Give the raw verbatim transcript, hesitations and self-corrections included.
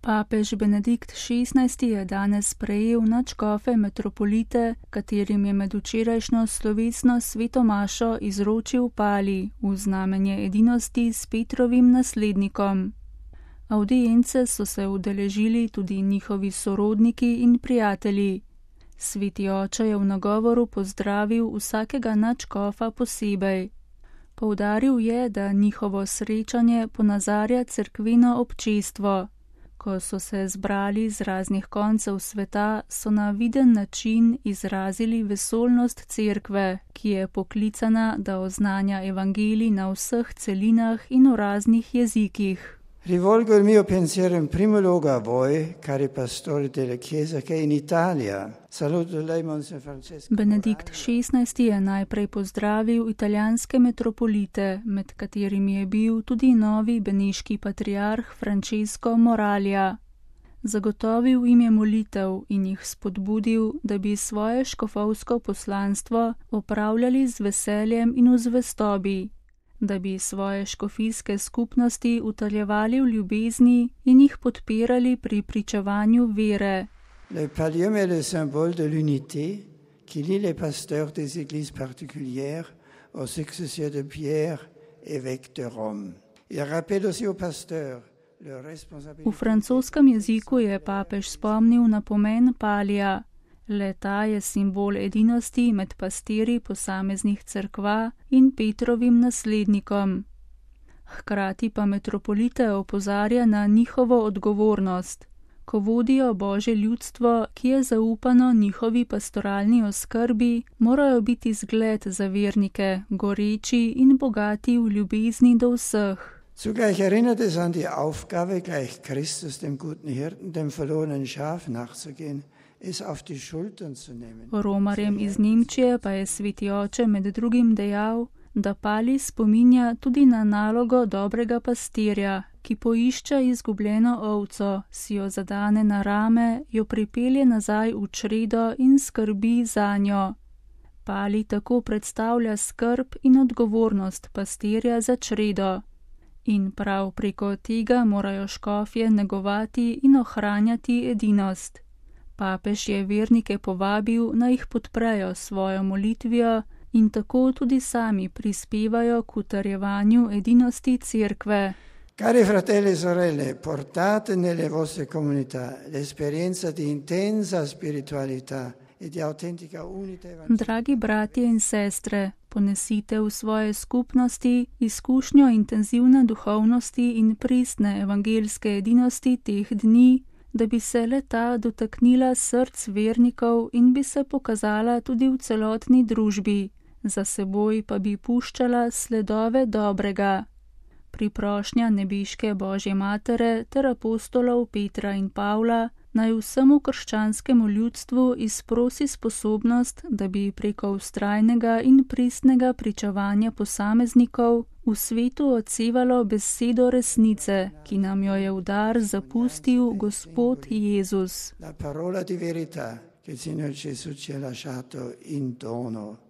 Papež Benedikt šestnajsti je danes sprejel nadškofe metropolite, katerim je med včerajšnjo slovesno sveto mašo izročil pali v znamenje edinosti s Petrovim naslednikom. Avdience so se udeležili tudi njihovi sorodniki in prijatelji. Sveti oče je v nagovoru pozdravil vsakega nadškofa posebej. Poudaril je, da njihovo srečanje ponazarja cerkveno občestvo. Ko so se zbrali z raznih koncev sveta, so na viden način izrazili vesoljnost cerkve, ki je poklicana, da oznanja evangelij na vseh celinah in v raznih jezikih. Rivolgo il mio pensiero in primo luogo a voi, cari pastori della Chiesa che in Italia. Saluto lei, Monsignor Francesco. Benedikt šestnajsti je najprej pozdravil italijanske metropolite, med katerimi je bil tudi novi beneški patriarh Francesco Moralja. Zagotovil jim je molitev in jih spodbudil, da bi svoje škofovsko poslanstvo opravljali z veseljem in v zvestobi, da bi svoje škofijske skupnosti utrjevali v ljubezni in jih podpirali pri pričevanju vere. Le pallium est le symbole de l'unité qui lie les pasteurs des églises particulières aux successeurs de Pierre, évêque de Rome. Il rappelle aussi aux pasteurs leur responsabilité. V francoskem jeziku je papež spomnil na pomen palija. Le-ta je simbol edinosti med pastirji posameznih cerkva in Petrovim naslednikom. Hkrati pa metropolite opozarja na njihovo odgovornost. Ko vodijo Božje ljudstvo, ki je zaupano njihovi pastoralni oskrbi, morajo biti zgled za vernike, goreči in bogati v ljubezni do vseh. Zugleich erinnert es an die Aufgabe, gleich Christus dem guten Hirten, dem verlorenen Schaf nachzugehen. Romarjem iz Nemčije pa je sveti oče med drugim dejal, da pali spominja tudi na nalogo dobrega pastirja, ki poišče izgubljeno ovco, si jo zadane na rame, jo pripelje nazaj v čredo in skrbi zanjo. Pali tako predstavlja skrb in odgovornost pastirja za čredo. In prav preko tega morajo škofje negovati in ohranjati edinost. Papež je vernike povabil, naj jih podprejo svojo molitvijo in tako tudi sami prispevajo k utrjevanju edinosti cerkve. Cari fratelli e sorelle, portate nelle vostre comunità l'esperienza di intensa spiritualità e di autentica unità evangelistica. Dragi bratje in sestre, ponesite v svoje skupnosti izkušnjo intenzivne duhovnosti in pristne evangelske edinosti teh dni, da bi se le-ta dotaknila src vernikov in bi se pokazala tudi v celotni družbi, za seboj pa bi puščala sledove dobrega. Priprošnja nebeške Božje matere ter apostolov Petra in Pavla naj vsemu krščanskemu ljudstvu izprosi sposobnost, da bi preko vztrajnega in pristnega pričevanja posameznikov v svetu odsevalo besedo resnice, ki nam jo je v dar zapustil Gospod Jezus. La parola di verità che il Signore Gesù ci ha lasciato in dono.